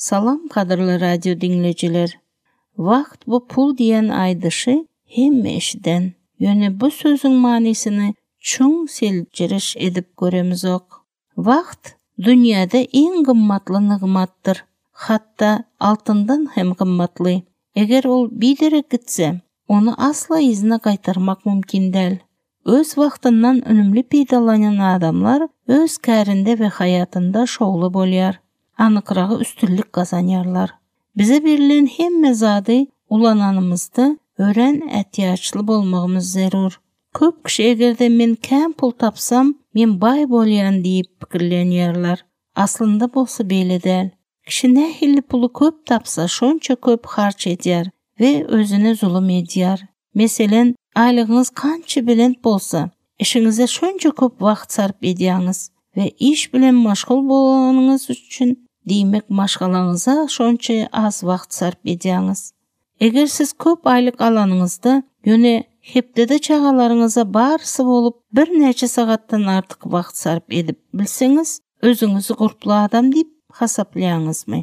Salam gadyrly radio diňleýjiler. Wagt bu pul diýen aýdyşy hemme eşiden. Ýöne bu sözüň manysyny çuň seljeriş edip göremizok. Wagt dünýäde iň gymmatly nygmatdyr. Hatda altyndan hem gymmatly. Eger ol biderek gitse, ony asla yzyna gaýtarmak mümkin däl. Öz wagtyndan önümli peýdalanýan adamlar öz kärinde we haýatynda şowly bolýar, anykragy üstünlik gazanýarlar. Bize berlen hemme zady ulananymyzda örän ätiýaçly bolmagymyz zerur. Köp kişi eger-de men kän pul tapsam, men baý bolýan diýip pikirlenýärler. Aslynda bolsa beýle däl. Kişi nähili puly köp tapsa, şonça köp harç edýär we özüne zulum edýär. Meselen, aýlygyňyz kança belent bolsa, işiňize şonça köp wagt sarp edýäňiz we iş bilen maşgul bolanyňyz üçin, diýmek maşgalaňyza şonça az wagt sarp edýäňiz. Eger siz köp aýlyk alanyňyzda, ýöne hepdede çagalaryňyza barysy bolup birnäçe sagatdan artyk wagt sarp edip bilseňiz, özüňizi gurply adam diýip hasaplaýaňyzmy?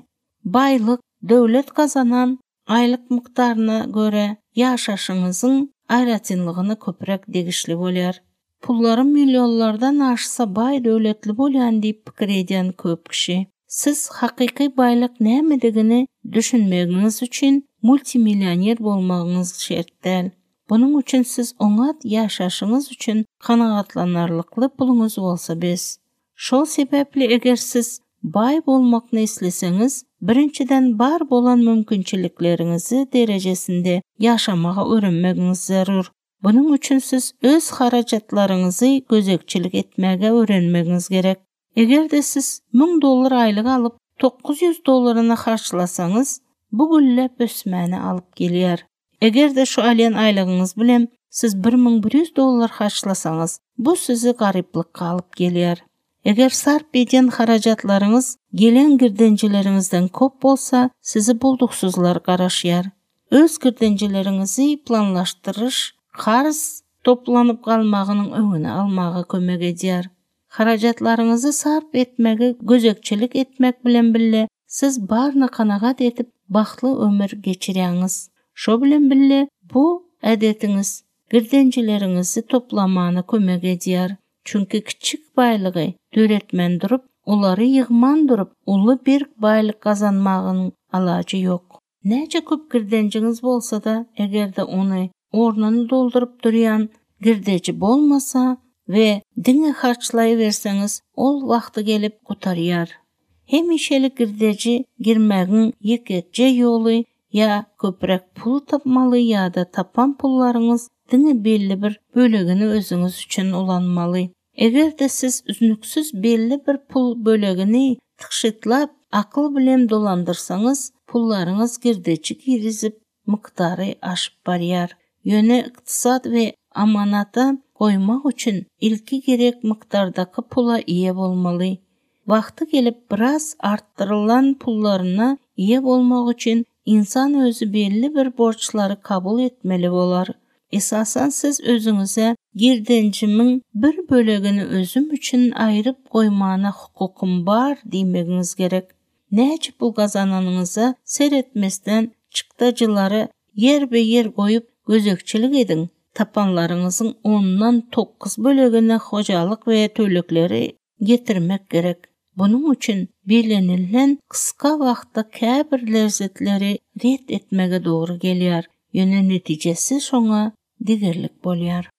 Baýlyk, döwlet gazanan aýlyk mukdaryna görä ýaşaşyňyzyň aýratynlygyna köpräk degişli bolýar. Pullary millionlardan aşsa baý döwletli bolýan diýip pikir edýän köp kişi. Siz hakyky baýlyk nämedigini düşünmegiňiz üçin multimillioner bolmagyňyz şert däl. Bunuň üçin siz oňat ýaşaşyňyz üçin kanagatlanarlykly puluňyz bolsa bes. Şol sebäpli eger siz baý bolmakny isleseňiz, birinjiden bar bolan mümkinçilikleriňizi derejesinde ýaşamagy öwrenmegiňiz zerur. Bunuň üçin siz öz harajatlaryňyzy gözegçilik etmäge öwrenmegiňiz gerek. Eger-de siz 1000 dollar aýlyk alyp, 900 dollaryny harçlasaňyz, bu gülläp ösmäni alyp gelýär. Eger-de şu alýan aýlygyňyz bilen siz 1100 dollar harçlasaňyz, bu sizi garyplykga alyp gelýär. Eger sarp edýän harajatlaryňyz gelen girdenjileriňizden kop bolsa, sizi bulduksyzlar garaşýar. Öz girdenjileriňizi planlaşdyryş karz toplanyp galmagynyň öňüni almaga kömek edýär. Harajatlaryňyzy sarp etmegi gözegçilik etmek bilen bille siz baryna kanagat edip bagtly ömür geçirýäňiz. Şo bilen bille bu ädetiňiz girdenjileriňizi toplamana kömek edýär. Çünki kiçjik baýlygy döretmän durup, olary ýygman durup uly berk baýlyk gazanmagyň alajy ýok. Näçe köp girdenjiňiz bolsa-da, eger-de ony ornuny dolduryp durýan girdeji bolmasa we diňe harçlaýberseňiz, ol wagty gelip gutarýar. Hemişelik girdeji girmegiň ýekeje ýoly ýa köpräk pul tapmaly ýa-da tapan pullaryňyz diňe belli bir bölegini özüňiz üçin ulanmaly. Eger-de siz üznüksiz belli bir pul bölegini tygşytlap, akyl bilen dolandyrsaňyz, pullaryňyz girdeji girizip, mukdary aşyp barýar. Ýöne ykdysat we amanata goýmak üçin ilki gerek mukdardaky pula eýe bolmaly. Wagty gelip biraz artdyrylan pullaryna eýe bolmak üçin ynsan özi belli bir borçlary kabul etmeli bolar. Esasan siz özüňize girdenjimiň bir bölegini özüm üçin aýryp goýmana hukukym bar diýmegiňiz gerek. Näçe pul gazananyňyza seretmesden çykdajylary ýerbe-ýer goýup gözegçilik ediň, tapanlaryňyzyň ondan tokuz bölegini hojalyk we tölegleri getirmek gerek. Bunuň üçin bellenilen gysga wagtda käbir lezzetleri ret etmege dogry gelýär, ýöne netijesi şoňa degerlik bolýar.